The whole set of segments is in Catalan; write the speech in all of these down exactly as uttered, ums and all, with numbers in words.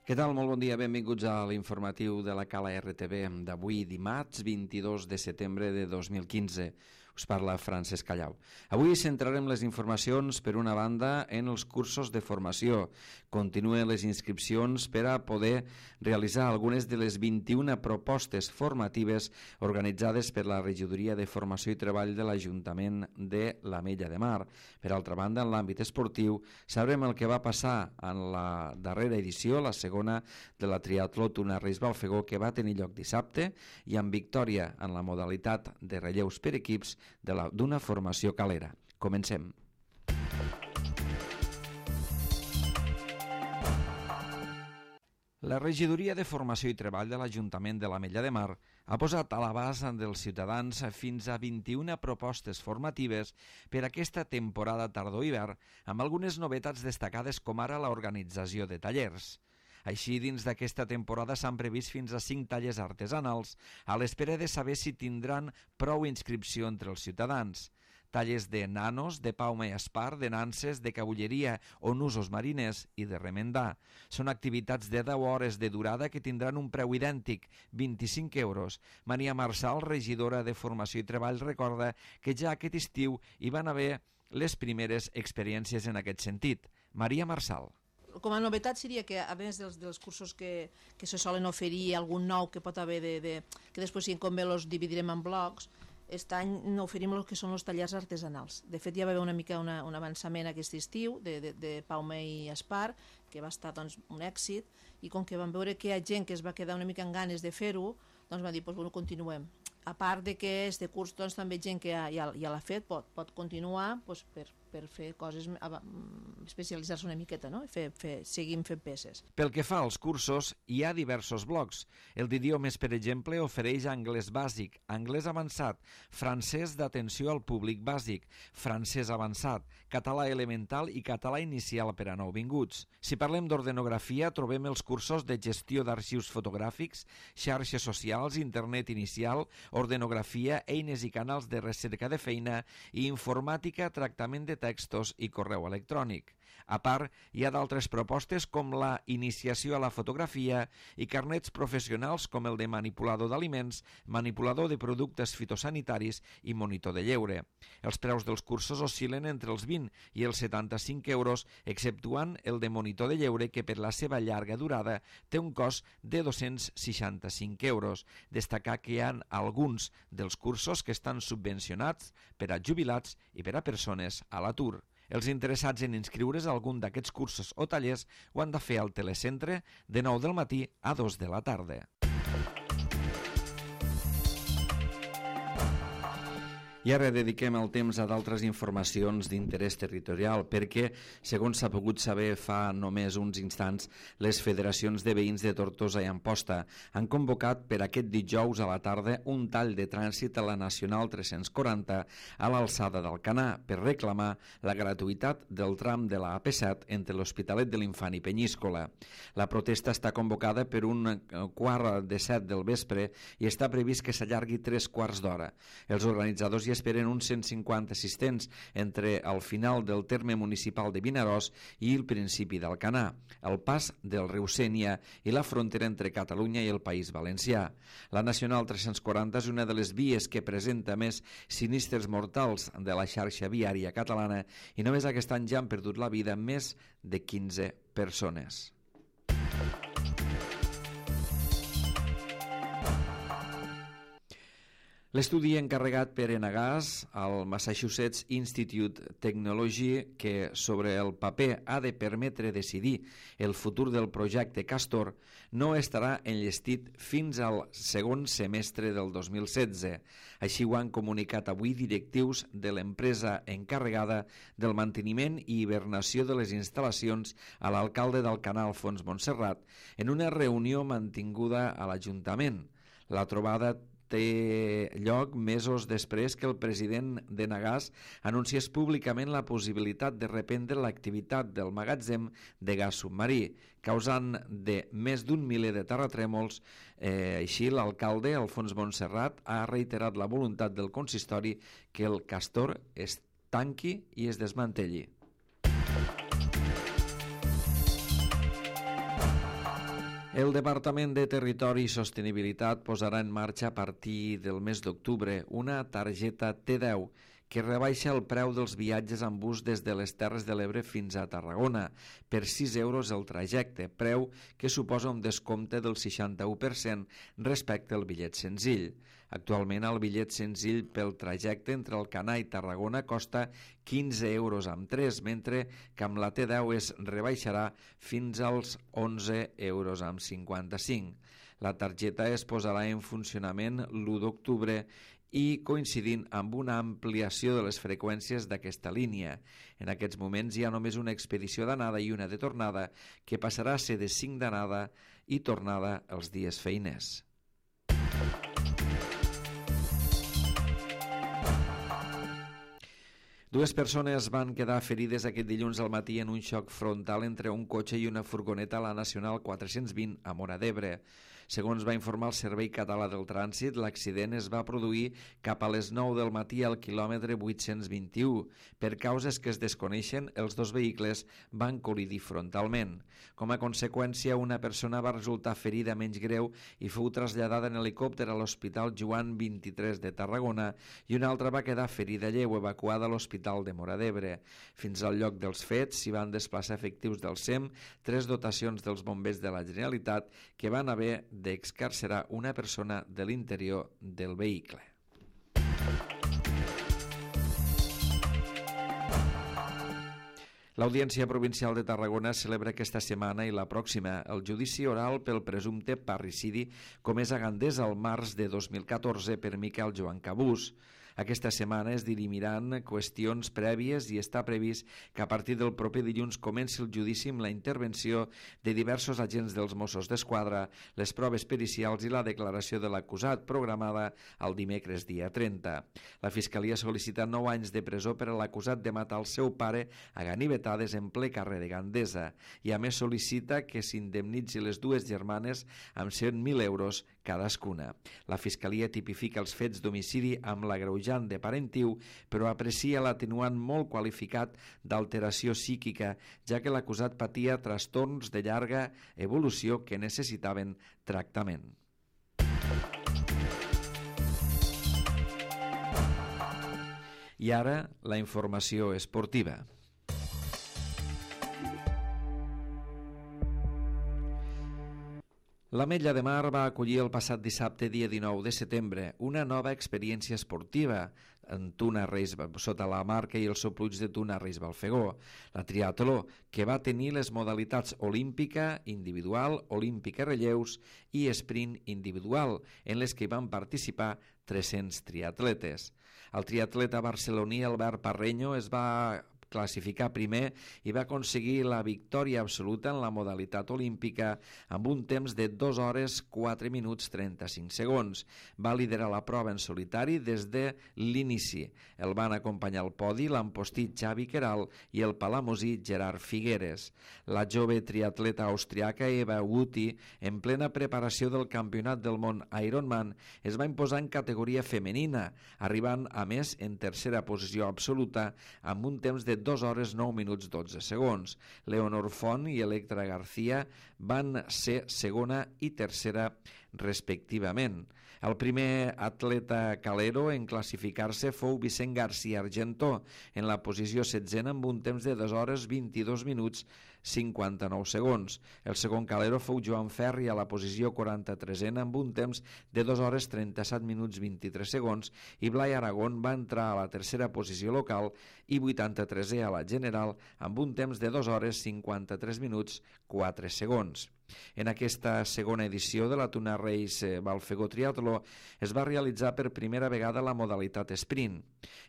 Què tal? Molt bon dia, benvinguts a l'informatiu de la Cala R T V d'avui, dimarts vint-i-dos de setembre de dos mil quinze. Us parla Francesc Callau. Avui centrarem les informacions, per una banda, en els cursos de formació. Continuen les inscripcions per a poder realitzar algunes de les vint-i-una propostes formatives organitzades per la Regidoria de Formació i Treball de l'Ajuntament de l'Ametlla de Mar. Per altra banda, en l'àmbit esportiu, sabrem el que va passar en la darrera edició, la segona de la triatló Tuna Reis Balfegó, que va tenir lloc dissabte, i amb victòria en la modalitat de relleus per equips d'una formació calera. Comencem. La Regidoria de Formació i Treball de l'Ajuntament de l'Ametlla de Mar ha posat a l'abast dels ciutadans fins a vint-i-una propostes formatives per aquesta temporada tardor-hivern, amb algunes novetats destacades com ara l'organització de tallers. Així, dins d'aquesta temporada s'han previst fins a cinc tallers artesanals, a l'espera de saber si tindran prou inscripció entre els ciutadans. Tallers de nanos, de pauma i espar, de nanses, de cabulleria o nusos mariners i de remendar. Són activitats de deu hores de durada que tindran un preu idèntic, vint-i-cinc euros. Maria Marçal, regidora de Formació i Treball, recorda que ja aquest estiu hi van haver les primeres experiències en aquest sentit. Maria Marçal. Com a novetat seria que, a més dels, dels cursos que, que se solen oferir, algun nou que pot haver, de, de, que després, si convé, els dividirem en blocs, aquest any oferim el que són els tallers artesanals. De fet, ja va haver una mica una, un avançament aquest estiu de, de, de Paume i Espar, que va estar doncs, un èxit, i com que vam veure que hi ha gent que es va quedar una mica amb ganes de fer-ho, doncs va dir, doncs, bueno, continuem. A part de que este curs doncs, també gent que ja, ja, ja l'ha fet pot, pot continuar doncs, per, per fer coses, especialitzar-se una miqueta, no? Fer, fer, seguim fent peces. Pel que fa als cursos, hi ha diversos blocs. El d'idiomes, per exemple, ofereix anglès bàsic, anglès avançat, francès d'atenció al públic bàsic, francès avançat, català elemental i català inicial per a nouvinguts. Si parlem d'ordenografia, trobem els cursos de gestió d'arxius fotogràfics, xarxes socials, internet inicial, ordenografia, eines i canals de recerca de feina i informàtica, tractament de textos i correu electrònic. A part, hi ha d'altres propostes com la iniciació a la fotografia i carnets professionals com el de manipulador d'aliments, manipulador de productes fitosanitaris i monitor de lleure. Els preus dels cursos oscil·len entre els vint i els setanta-cinc euros, exceptuant el de monitor de lleure, que per la seva llarga durada té un cost de dos-cents seixanta-cinc euros. Destacar que hi ha alguns dels cursos que estan subvencionats per a jubilats i per a persones a l'atur. Els interessats en inscriure's a algun d'aquests cursos o tallers ho han de fer al telecentre de nou del matí a dos de la tarda. I ara dediquem el temps a d'altres informacions d'interès territorial perquè, segons s'ha pogut saber fa només uns instants, les federacions de veïns de Tortosa i Amposta han convocat per aquest dijous a la tarda un tall de trànsit a la Nacional tres-cents quaranta a l'alçada d'Alcanar per reclamar la gratuïtat del tram de la A P set entre l'Hospitalet de l'Infant i Penyíscola. La protesta està convocada per un quart de set del vespre i està previst que s'allargui tres quarts d'hora. Els organitzadors hi esperen uns cent cinquanta assistents entre el final del terme municipal de Vinaròs i el principi d'Alcanar, el pas del riu Sénia i la frontera entre Catalunya i el País Valencià. La Nacional tres-cents quaranta és una de les vies que presenta més sinistres mortals de la xarxa viària catalana i només aquest any ja han perdut la vida més de quinze persones. L'estudi encarregat per Enagás al Massachusetts Institute Technology, que sobre el paper ha de permetre decidir el futur del projecte Castor, no estarà enllestit fins al segon semestre del dos mil setze. Així ho han comunicat avui directius de l'empresa encarregada del manteniment i hibernació de les instal·lacions a l'alcalde d'Alcanar, Alfons Montserrat, en una reunió mantinguda a l'Ajuntament. La trobada té lloc mesos després que el president d'Enagás anunciés públicament la possibilitat de reprendre l'activitat del magatzem de gas submarí, causant de més d'un miler de terratrèmols. Eh, així, l'alcalde, Alfons Montserrat, ha reiterat la voluntat del consistori que el Castor es tanqui i es desmantelli. El Departament de Territori i Sostenibilitat posarà en marxa a partir del mes d'octubre una targeta T deu que rebaixa el preu dels viatges en bus des de les Terres de l'Ebre fins a Tarragona per sis euros el trajecte, preu que suposa un descompte del seixanta-u per cent respecte al bitllet senzill. Actualment el bitllet senzill pel trajecte entre Alcanar i Tarragona costa quinze euros amb tres, mentre que amb la T deu es rebaixarà fins als onze euros amb cinquanta-cinc. La targeta es posarà en funcionament l'u d'octubre i coincidint amb una ampliació de les freqüències d'aquesta línia. En aquests moments hi ha només una expedició d'anada i una de tornada que passarà a ser de cinc d'anada i tornada els dies feiners. Dues persones van quedar ferides aquest dilluns al matí en un xoc frontal entre un cotxe i una furgoneta a la Nacional quatre-cents vint a Móra d'Ebre. Segons va informar el Servei Català del Trànsit, l'accident es va produir cap a les nou del matí al quilòmetre vuit-cents vint-i-u. Per causes que es desconeixen, els dos vehicles van col·lidir frontalment. Com a conseqüència, una persona va resultar ferida menys greu i fou traslladada en helicòpter a l'Hospital Joan vint-i-tres de Tarragona i una altra va quedar ferida lleu, evacuada a l'Hospital de Móra d'Ebre. Fins al lloc dels fets s'hi van desplaçar efectius del S E M, tres dotacions dels bombers de la Generalitat que van haver d'excarcerar una persona de l'interior del vehicle. L'Audiència Provincial de Tarragona celebra aquesta setmana i la pròxima el judici oral pel presumpte parricidi comès a Gandesa el març de dos mil catorze per Miquel Joan Cabús. Aquesta setmana es dirimiran qüestions prèvies i està previst que a partir del proper dilluns comenci el judici amb la intervenció de diversos agents dels Mossos d'Esquadra, les proves pericials i la declaració de l'acusat programada el dimecres dia trenta. La Fiscalia sol·licita nou anys de presó per a l'acusat de matar el seu pare a ganivetades en ple carrer de Gandesa i a més sol·licita que s'indemnitzi les dues germanes amb cent mil euros cadascuna. La Fiscalia tipifica els fets d'homicidi amb l'agreujant de parentiu, però aprecia l'atenuant molt qualificat d'alteració psíquica, ja que l'acusat patia trastorns de llarga evolució que necessitaven tractament. I ara, la informació esportiva. L'Ametlla de Mar va acollir el passat dissabte, dia dinou de setembre, una nova experiència esportiva en Tuna Reis, sota la marca i el sopluig de Tuna Reis Balfegó, la triatló, que va tenir les modalitats olímpica individual, olímpica relleus i sprint individual, en les que van participar tres-cents triatletes. El triatleta barceloní Albert Parreño es va classificar primer i va aconseguir la victòria absoluta en la modalitat olímpica amb un temps de dos hores quatre minuts trenta-cinc segons. Va liderar la prova en solitari des de l'inici. El van acompanyar al podi l'ampostit Xavi Queral i el palamosí Gerard Figueres. La jove triatleta austriaca Eva Wuti, en plena preparació del Campionat del Món Ironman, es va imposar en categoria femenina, arribant a més en tercera posició absoluta amb un temps de dos hores nou minuts dotze segons. Leonor Font i Electra García van ser segona i tercera respectivament. El primer atleta calero en classificar-se fou Vicent García Argentó, en la posició setzena amb un temps de dos hores vint-i-dos minuts cinquanta-nou segons. El segon calero fou Joan Ferri a la posició quaranta-tresena amb un temps de dos hores trenta-set minuts vint-i-tres segons i Blai Aragón va entrar a la tercera posició local i vuitanta-tresè a la general amb un temps de dos hores cinquanta-tres minuts quatre segons. En aquesta segona edició de la Tuna Reis Balfegó Triatló es va realitzar per primera vegada la modalitat sprint.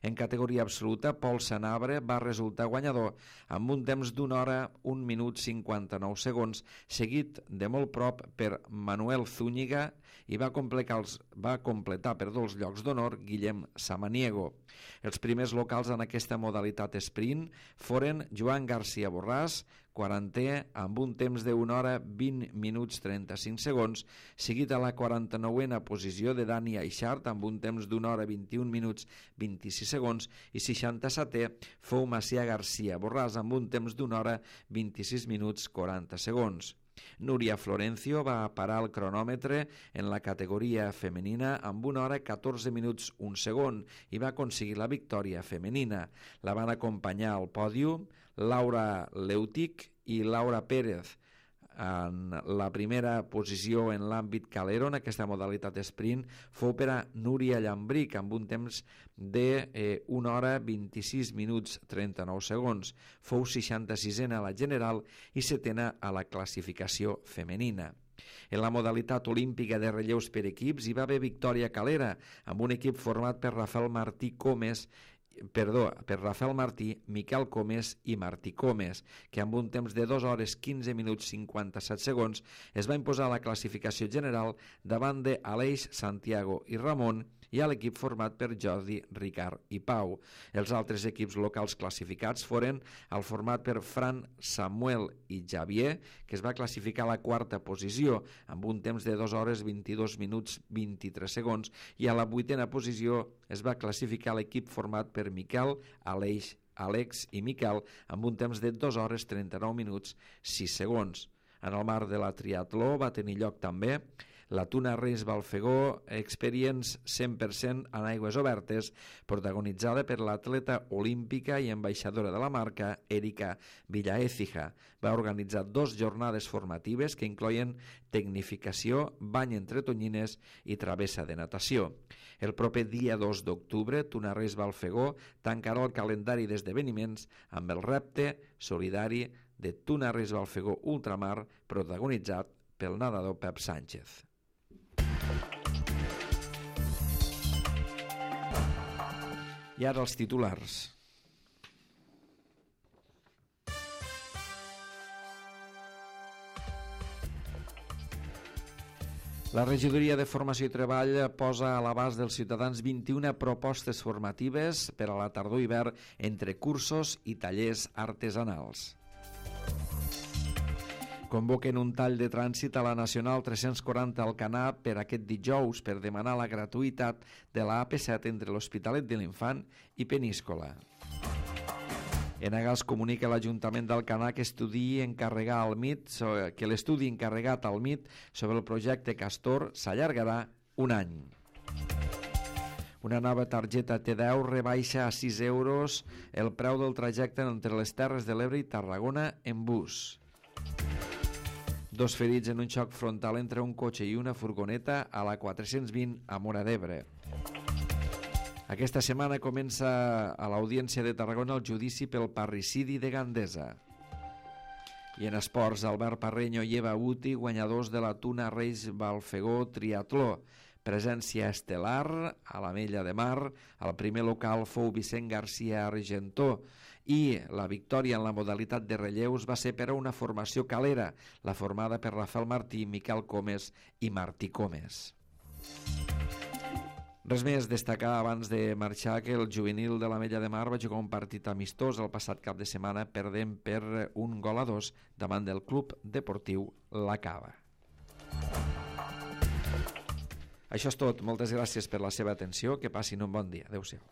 En categoria absoluta, Pol Sanabre va resultar guanyador amb un temps d'una hora, un minut cinquanta-nou segons, seguit de molt prop per Manuel Zúñiga i va completar els, va completar per dos llocs d'honor Guillem Samaniego. Els primers locals en aquesta modalitat sprint foren Joan García Borràs, quarantè amb un temps d'una hora vint minuts trenta-cinc segons, seguit a la quaranta-nouena posició de Dani Aixart amb un temps d'una hora vint-i-un minuts vint-i-sis segons i seixanta-setè fou Macià García Borràs amb un temps d'una hora vint-i-sis minuts quaranta segons. Núria Florencio va parar el cronòmetre en la categoria femenina amb una hora catorze minuts un segon i va aconseguir la victòria femenina. La van acompanyar al pòdium Laura Leutic i Laura Pérez. En la primera posició en l'àmbit calero, en aquesta modalitat sprint, fou per a Núria Llambric amb un temps de eh, una hora vint-i-sis minuts trenta-nou segons. Fou seixanta-sisena a la general i setena a la classificació femenina. En la modalitat olímpica de relleus per equips hi va haver victòria calera amb un equip format per Rafael Martí Comes Perdó, per Rafael Martí, Miquel Comes i Martí Comes, que amb un temps de dos hores quinze minuts cinquanta-set segons es va imposar la classificació general davant de Aleix, Santiago i Ramon i a l'equip format per Jordi, Ricard i Pau. Els altres equips locals classificats foren el format per Fran, Samuel i Javier, que es va classificar a la quarta posició amb un temps de dos hores vint-i-dos minuts vint-i-tres segons, i a la vuitena posició es va classificar l'equip format per Miquel, Aleix, Àlex i Miquel amb un temps de dos hores trenta-nou minuts sis segons. En el marc de la triatló va tenir lloc també la Tuna Reis Balfegó Experience cent per cent en aigües obertes, protagonitzada per l'atleta olímpica i ambaixadora de la marca, Erika Villaécija. Va organitzar dos jornades formatives que incloïen tecnificació, bany entre tonyines i travessa de natació. El proper dia dos d'octubre, Tuna Reis Balfegó tancarà el calendari d'esdeveniments amb el repte solidari de Tuna Reis Balfegó Ultramar, protagonitzat pel nedador Pep Sánchez. I ara els titulars. La Regidoria de Formació i Treball posa a l'abast dels ciutadans vint-i-una propostes formatives per a la tardor-hivern entre cursos i tallers artesanals. Convoquen un tall de trànsit a la Nacional tres-cents quaranta Alcanar per aquest dijous per demanar la gratuïtat de la A P set entre l'Hospitalet de l'Infant i Peníscola. Enagas comunica a l'Ajuntament d'Alcanar que estudi encarregar al M I T, que l'estudi encarregat al M I T sobre el projecte Castor s'allargarà un any. Una nova targeta T deu rebaixa a sis euros el preu del trajecte entre les Terres de l'Ebre i Tarragona en bus. Dos ferits en un xoc frontal entre un cotxe i una furgoneta a la quatre-cents vint a Móra d'Ebre. Aquesta setmana comença a l'Audiència de Tarragona el judici pel parricidi de Gandesa. I en esports, Albert Parreño i Eva Uti, guanyadors de la Tuna Reis Balfegó Triatló. Presència estel·lar a l'Ametlla de Mar, el primer local fou Vicent García Argentó, i la victòria en la modalitat de relleus va ser per a una formació calera, la formada per Rafael Martí, Miquel Comes i Martí Comes. Res més, destacar abans de marxar que el juvenil de l'Ametlla de Mar va jugar un partit amistós el passat cap de setmana perdent per un gol a dos davant del Club Deportiu La Cava. Això és tot. Moltes gràcies per la seva atenció. Que passin un bon dia. Adéu-siau.